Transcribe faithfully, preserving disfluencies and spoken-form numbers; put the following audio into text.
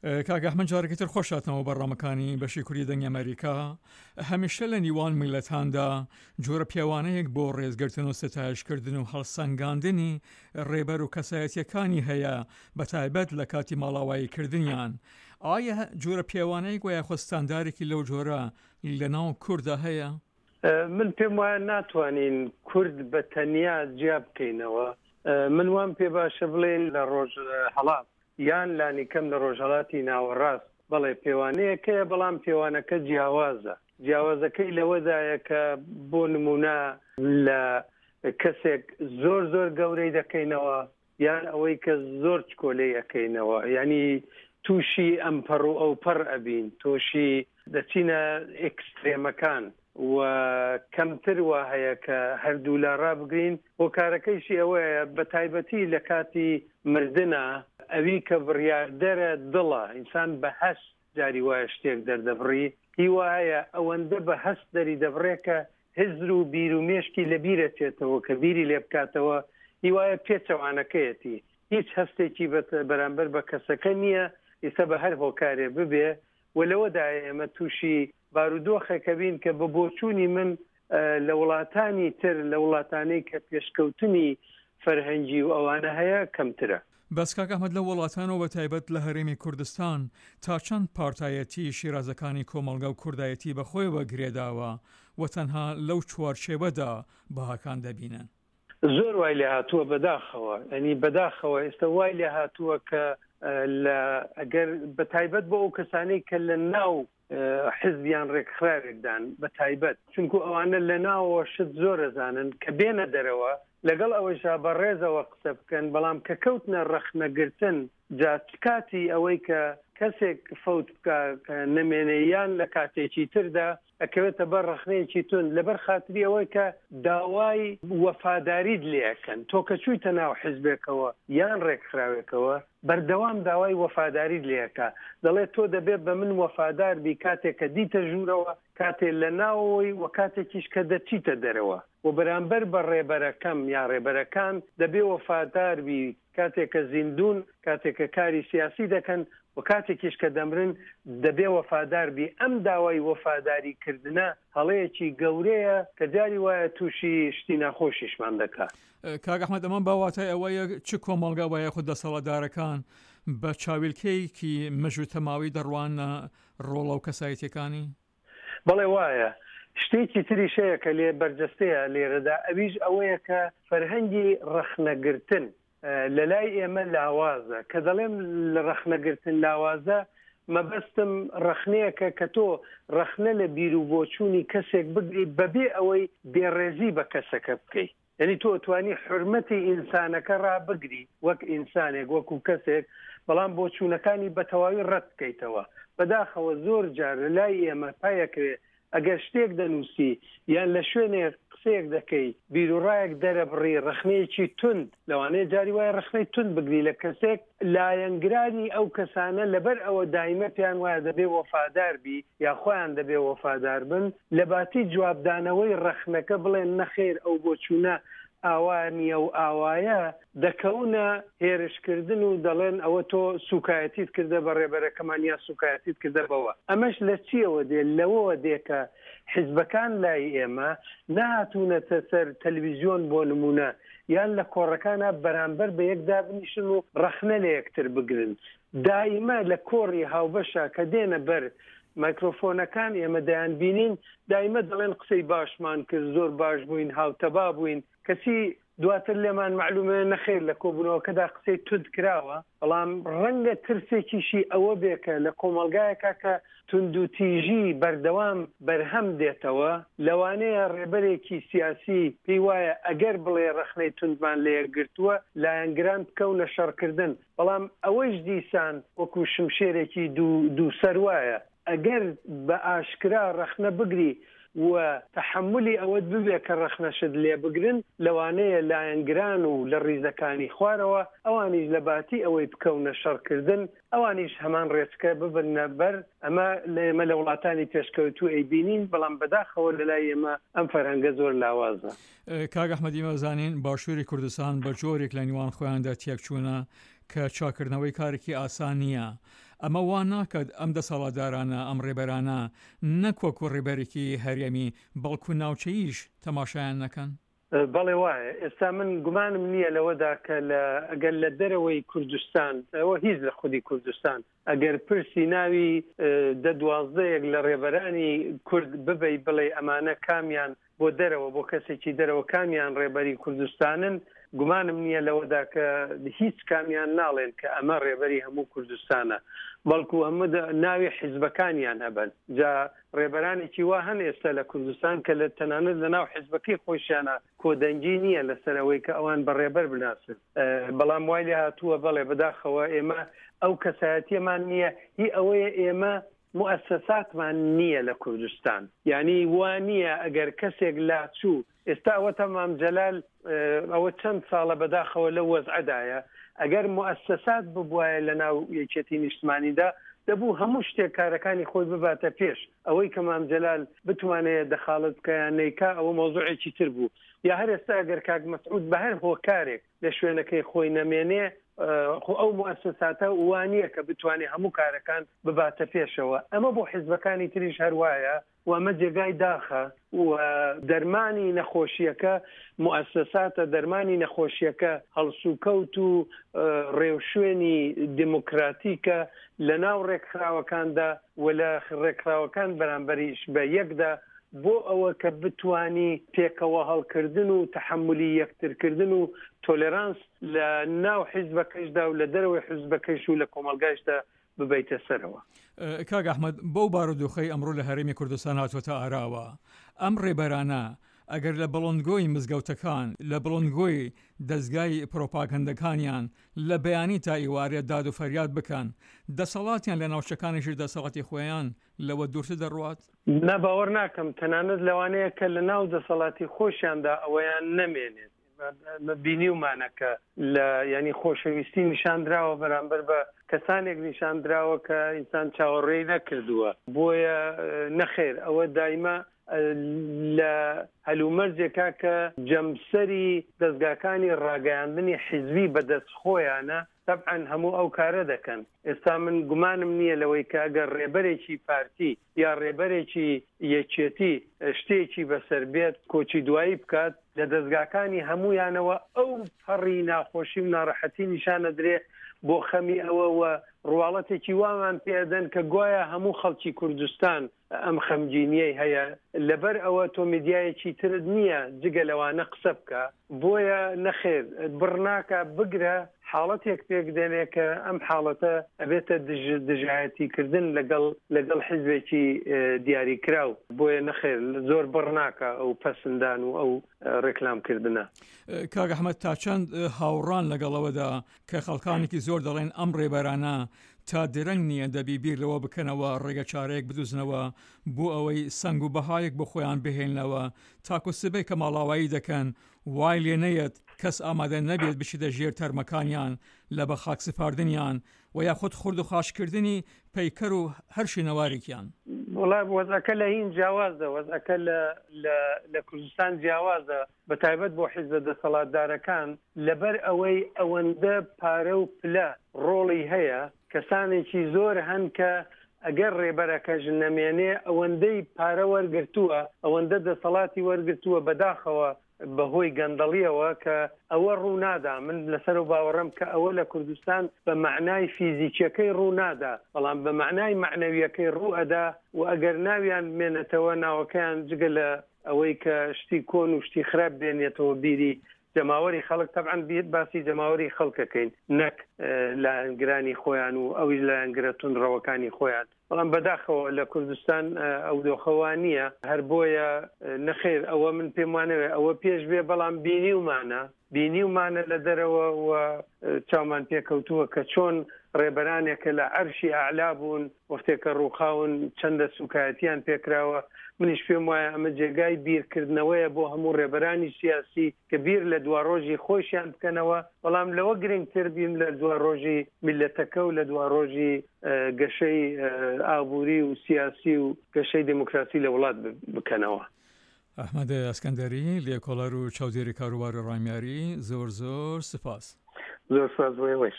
کاک ئەحمەد جارێکی تر خۆش هاتنەوە بەرنامەکانی بەشی کوردی دەنگی ئەمریکا. هەمیشە لە نیوان میللەتاندا جۆرە پێوانەیەک بۆ ڕێزگرتن و ستایشکردن و هەڵسەنگاندنی ڕێبەر و کەسایەتیەکانی هەیە، بە تایبەت لە کاتی ماڵاوایی کردنیان. ئایا جۆرە پێوانەیەک و یاخود ستاندارێکی لەو جۆرە لە ناو کوردا هەیە؟ من پێم وایە ناتوانین کورد بە تەنیا جیا بکەینەوە. من وام پێ باشە بڵێین لە ڕۆژهەڵات یان لانیکەم لە ڕۆژهەڵاتی ناوەڕاست بەڵێ پێوانەیەک هەیە، بەڵام پێوانەکە جیاوازە. جیاوازەکەی لەوەدایە کە بۆ نمونە لە کەسێک زۆر زۆر گەورەی دەکەینەوە یان ئەوەی کە زۆر چکۆلەی ئەکەینەوە، یعنی تووشی ئەم پەڕ و ئەو پەڕ ئەبین، تووشی دەچینە ئێکسترێمەکان و کەمتر وا هەیە کە هەردوو لا ڕابگرین. هۆکارەکەیشی ئەوەیە بە تایبەتی لە کاتی مردنە ئەوی کە بڕیاردەرە دڵە، ئینسان بە هەست جاری وایە شتێک دەردەبڕی، هیوا هەیە ئەوەندە بە هەست دەری دەبڕێ کە هزر و بیر و مێشکی لە بیرە چێتەوە کە بیری لێ بکاتەوە، هیوایە پێچەوانەکەیەتی، هیچ هەستێکی بەرامبەر بە کەسەکە نییە، ئێستا بە هەر هۆکارێ ببێ. و لەوەدایە ئێمە تووشی بارودۆخێکە بین کە بە بۆچوونی من لە وڵاتانی تر، لە وڵاتانەی کە پێشکەوتنی فەرهەنگی و ئەوانە هەیە کەمترە. بەس کاک ئەحمەد لە وڵاتان و بە تایبەت لە هەرێمی کوردستان تا چەند پارتایەتی شیرازەکانی کۆمەڵگە و کوردایەتی بەخۆیەوە گرێداوە و تەنها لەو چوارچێوەدا بەهاکان دەبینن؟ زۆر وای لێ هاتووە بەداخەوە، ینی بەداخەوە ئێستا وای لێ هاتووە کە لە ئەگەر بە تایبەت بۆ ئەو کەسانەی کە لە ناو حزبیان ڕێکخراوێکدان بە تایبەت، چونکو ئەوانە لە ناوەوە شت زۆر ئەزانن کە بێنە دەرەوە لەگەڵ ئەوەشا بەڕێزەوە قسە بکەن، بەڵام کە کەوتنە ڕەخنەگرتن جا چ کاتی ئەوەی کە کەسێک فەوت بکە کە نەمێنێ یان لە کاتێکی تردا ئەکەوێتە بەر ڕەخنەیەکی توند لەبەر خاتری ئەوەی کە داوای وەفاداریت لێ ئەکەن. تۆ کە چوویتە ناو حزبێکەوە یان ڕێکخراوێکەوە بەردەوام داوای وەفاداریت لێ ئەکا، دەڵێت تۆ دەبێت بە من وەفادار بی کاتێک کە دیتە ژوورەوە، کاتێ لە ناوەوەی و کاتێکیش کە دەچیتە دەرەوە، و بەرامبەر بە ڕێبەرەکەم یا ڕێبەرەکان دەبێ وەفادار بی کاتێک کە زیندون، کاتێک کە کاری سیاسی دەکەن و کاتێکیش کە دەمرن دەبێ وەفادار بی. ئەم داوای وەفاداری کردنە هەڵەیەکی گەورەیە کە جاری وایە تووشی شتی ناخۆشیشمان دەکا. کاک ئەحمەد ئەمە بە واتای ئەوەیە چ کۆمەڵگا وایە خود دەسەڵاتدارەکان بە چاویلکەیەکی مژ و تەماوی دەڕوانە ڕۆڵە و کەسایەتیەکانی؟ بەڵێ وایە. شتێکی تریش هەیە کە لێ بەرجەستەیە لێرەدا، ئەویش ئەوەیە کە فەرهەنگی ڕەخنەگرتن لە لای ئێمە لاوازە. کە دەڵێم لە ڕەخنەگرتن لاوازە، مەبەستم ڕەخنەیەکە کە تۆ ڕەخنە لە بیر و بۆچوونی کەسێک بگری بەبێ ئەوەی بێڕێزی بە کەسەکە بکەیت. یعنی تۆ توانی حرمەتی ئینسانەکە ڕابگری وەک ئینسانێک، وەکو کەسێک، بەڵام بۆچوونەکانی بە تەواوی ڕەت بکەیتەوە. بەداخەوە زۆر جار لە لای ئێمە پایەکرێ ئەگەر شتێک دەنووسی یان لە شوێنێک قسەیەک دەکەی، بیرروڕایەک دەرەبڕی، ڕەخنەیەکی توند، لەوانەیە جاری وایە ڕەخنەی توند بگری لە کەسێک، لایەنگرانی ئەو کەسانە لەبەر ئەوە دایمە پێیان وایە دەبێ وەفادار بی یا خۆیان دەبێ وەفادار بن، لە باتی جوابدانەوەی ڕەخنەکە بڵێن نەخێر ئەو بۆچوونە ئاوا نییە و ئاوایە، دەکەونە هێرشکردن و دەڵێن ئەوە تۆ سوکایەتیت کردە بە ڕێبەرەکەمان یا سوکایەتیت کردە بەوە. ئەمەش لە چیەوە دێ؟ لەوەوە دێ کە حزبەکان لای ئێمە نەهاتوونەتە سەر تەلویزیۆن بۆ نمونە یان لە کۆڕەکانە بەرامبەر بە یەک دابنیشن و ڕەخنە لە یەکتر بگرن. دائیمە لە کۆڕی هاوبەشە کە دێنە بەر مایکرۆفۆنەکان ئێمە دەیان بینین، دایمە دەڵێن قسەی باشمان کرد، زۆر باش بووین، هاوتەبا بووین، کەچی دواتر لێمان معلومە نەخێر لە کۆبوونەوەکەدا قسەی توند کراوە. بەڵام ڕەنگە ترسێکیشی ئەوە بێ کە لە کۆمەڵگایەکە کە توندوتیژی بەردەوام بەرهەم دێتەوە، لەوانەیە ڕێبەرێکی سیاسی پێی وایە ئەگەر بڵێ ڕەخنەی توندمان لە یەکگرتووە لایەنگران بکەونە شەڕکردن، بەڵام ئەوەیش دیسان وەکو شمشێرێکی دوو دوو سەر وایە. ئەگەر بە ئاشکرا ڕەخنە بگری و تەحەمولی ئەوەت ببێ کە ڕەخنەشت لێ بگرن، لەوانەیە لایەنگران و لە ڕیزەکانی خوارەوە ئەوانیش لە باتی ئەوەی بکەونە شەڕکردن ئەوانیش هەمان ڕێچکە ببرنە بەر. ئەمە لە ئێمە لە وڵاتانی پێشکەوتوو ئەیبینین، بەڵام بەداخەوە لە لای ئێمە ئەم فەرهەنگە زۆر لاوازە. کاک ئەحمەد ئیمە زانین باشووری کوردستان بە جۆرێک لە نیوان خۆیاندا تێکچوونە کە چاکردنەوەی کارێکی ئاسان نییە. ئەمە وا ناکات ئەم دەسەڵاتدارانە، ئەم ڕێبەرانە نەک وەکو ڕێبەرێکی هەرێمی بەڵکو ناوچەییش تەماشایان نەکەن؟ بەڵێ وایە. ئێستا من گومانم نییە لەوەدا کە لە ئەگەر لە دەرەوەی کوردستان، ئەوە هیچ لە خودی کوردستان، ئەگەر پرسی ناوی دە دوازدەیەک لە ڕێبەرانی کورد ببەی بڵێ ئەمانە کامیان بۆ دەرەوە، بۆ کەسێکی دەرەوە کامیان ڕێبەری کوردستانن، گومانم نییە لەوەدا کە هیچ کامیان ناڵێن کە ئەمە ڕێبەری هەموو کوردستانە، بەڵکو هەموو ناوی حیزبەکانیان هەبن. جا ڕێبەرانێکی وا هەن ئێستا لە کوردستان کە لە تەنانەت لە ناو حیزبەکەی خۆشیانە کۆدەنگی نییە لەسەر ئەوەی کە ئەوان بە ڕێبەر بناسن. بەڵام وای لێ هاتووە بەڵێ بەداخەوە ئێمە ئەو کەسایەتیەمان نییە، هی ئەوەیە ئێمە مؤسساتمان نییە لە کوردستان. یعنی وا نییە ئەگەر کەسێک لاچوو، ئێستا ئەوە تەمام جەلال ئەوە چەند ساڵە بەداخەوە لەو وەزعەدایە، ئەگەر مؤسسات ببوایە لە ناو یەکێتی نیشتمانیدا دەبوو هەموو شتێک کارەکانی خۆی بباتە پێش. ئەوەی کە مام جەلال بتوانێت دەخاڵت بکە یان نەیکا ئەوە مەوزوعێکی تر بوو. یا هەر ئێستا ئەگەر کاک مەسعود بە هەر هۆکارێک لە شوێنەکەی خۆی نەمێنێ، خۆ ئەو مؤسساتە وانییە کە بتوانێت هەموو کارەکان بباتە پێشەوە. ئەمە بۆ حیزبەکانی تریش هەروایە و ئەمە جێگای داخە و دەرمانی نەخۆشیەکە مؤسساتە، دەرمانی نەخۆشیەکە هەڵسوکەوت و ڕێوشوێنی دموکراتیکە لە ناو ڕێکخراوەکاندا و لە ڕێکخراوەکان بەرامبەریش بە یەکدا، بۆ ئەوە کە بتانی پێکەوە هەڵکردن و تەحەمولی یەکترکردن و تۆلێرانس لە ناو حیزبەکەشدا و لە دەرەوەی حیزبەکەش و لە کۆمەڵگایشدا ببەیتە سەرەوە. کاک ئەحمەد، بەو بارودۆخەی ئەمڕۆ لە هەرێمی کوردستان هاتووەتە ئاراوە، ئەم ڕێبەرانە ئەگەر لە بڵندگۆی مزگەوتەکان، لە بڵندگۆی دەستگای پرۆپاگەندەکانیان لە بەیانی تا ئیوارێ داد و فەریاد بکەن، دەسەڵاتیان لە ناوچەکانیش دەسەڵاتی خۆیان لەوە دوورتر دەڕوات؟ نا، باوەڕ ناکەم. تەنانەت لەوانەیە کە لە ناو دەسەڵاتی خۆشیاندا ئەوەیان نەمێنێت. بینیومانە کە لە ینی خۆشەویستی نیشاندراوە بەرامبەر بە کەسانێک نیشاندراوە کە ئینسان چاوەڕێی نەکردووە. بۆیە نەخێر ئەوە دایمە لە هەلومەرجێکا کە جەمسەری دەستگاکانی ڕاگەیاندنی حیزبی بەدەست خۆیانە، طبعا هەموو ئەو کارە دەکەن. ئێستا من گومانم نییە لەوەی کە ئەگەر ڕێبەرێکی پارتی یا ڕێبەرێکی یەکێتی شتێکی بەسەر بێت کۆچی دوایی بکات، لە دەستگاکانی هەمویانەوە ئەو پەڕی ناخۆشی و ناڕەحەتی نیشانە درێ بۆ خەمی ئەوەوە ڕواڵەتێکی وامان پێدەن کە گوایە هەموو خەڵکی کوردستان ئەم خەمگینیەی هەیە. لەبەر ئەوە تۆ میدیایەکی ترت نییە جگە لەوانە قسە بکە. بۆیە نەخێر بڕ ناکە، بگرە حاڵەتێک پێک دێنێ کە ئەم حاڵەتە ئەبێتە دژایەتیکردن لەگەڵ لەگەڵ حیزبێکی دیاریکراو. بۆیە نەخێر زۆر بڕ ناکە ئەو پەسەندان و ئەو ڕێکلامکردنە. کاک ئەحمەد، تا چەند هاوڕان لەگەڵەوەدا کە خەڵکانێکی زۆر دەڵێن ئەم ڕێبەرانە تا درەنگ نییە دەبی بیر لەوە بکەنەوە ڕێگە چارەیەک بدوزنەوە بۆ ئەوەی سەنگ و بەهایەک بۆ خۆیان بهێننەوە تاکو سبەی کە ماڵاوایی دەکەن وای لێ نەیەت کەس ئامادە نەبێت بچیتە ژێر تەرمەکانیان لە بە خاک سپاردنیان و یاخود خورد و خاشکردنی پەیکەر و هەر شوێنەوارێکیان؟ وڵا وەزعەکە لە هین جیاوازە، وەزعەکە لە کوردستان جیاوازە، بە تایبەت بۆ حیزبە دەسەڵاتدارەکان، لەبەر ئەوەی ئەوەندە پارە و پلە ڕۆڵی هەیە، کەسانێکی زۆر هەن کە ئەگەر ڕێبەرەکەش نەمێنێ ئەوەندەی پارە وەرگرتووە، ئەوەندە دەسەڵاتی وەرگرتووە، بەداخەوە بەهۆی گەندەڵیەوە کە ئەوە ڕوونادا. من لەسەر و باوەڕم کە ئەوە لە کوردستان بە معنای فیزیکیەکەی ڕوونادا، بەڵام بە معنای معنەویەکەی ڕوو ئەدا. و ئەگەر ناویان بمێنێتەوە، ناوەکەیان جگە لە ئەوەی کە شتی کۆن و شتی خراپ بێنێتەوە بیری جەماوەری خەڵک، تەبعەن باسی جەماوەری خەڵکەکەین نەک لایەنگرانی خۆیان و ئەویش لایەنگرە توندڕەوەکانی خۆیان. بەڵام بەداخەوە لە کوردستان ئەو دۆخەوە نییە. هەر بۆیە نەخێر ئەوە من پێم وانەوێ ئەوە پێش بێ، بەڵام بینیومانە بینیومانە لە دەرەوە و چاومان پێکەوتووە کە چۆن ڕێبەرانێکە لە عەرشی ئەعلا بوون وەختێکە ڕووخاون چەندە سوکایەتیان پێکراوە. منیش پێم وایە ئەمە جێگای بیرکردنەوەیە بۆ هەموو ڕێبەرانی سیاسی کە بیر لە دواڕۆژی خۆشیان بکەنەوە، بەڵام لەوە گرنگتر بیم لە دواڕۆژی میلەتەکە و لە دواڕۆژی گەشەی ئابووری و سیاسی و گەشەی دموکراسی لە وڵات بکەنەوە. ئەحمەد ئەسکەندەری، لێکۆڵەر و چاودێری کاروباری ڕامیاری، زۆر زۆر سپاس. زۆر سپاس بۆ ئێوەش.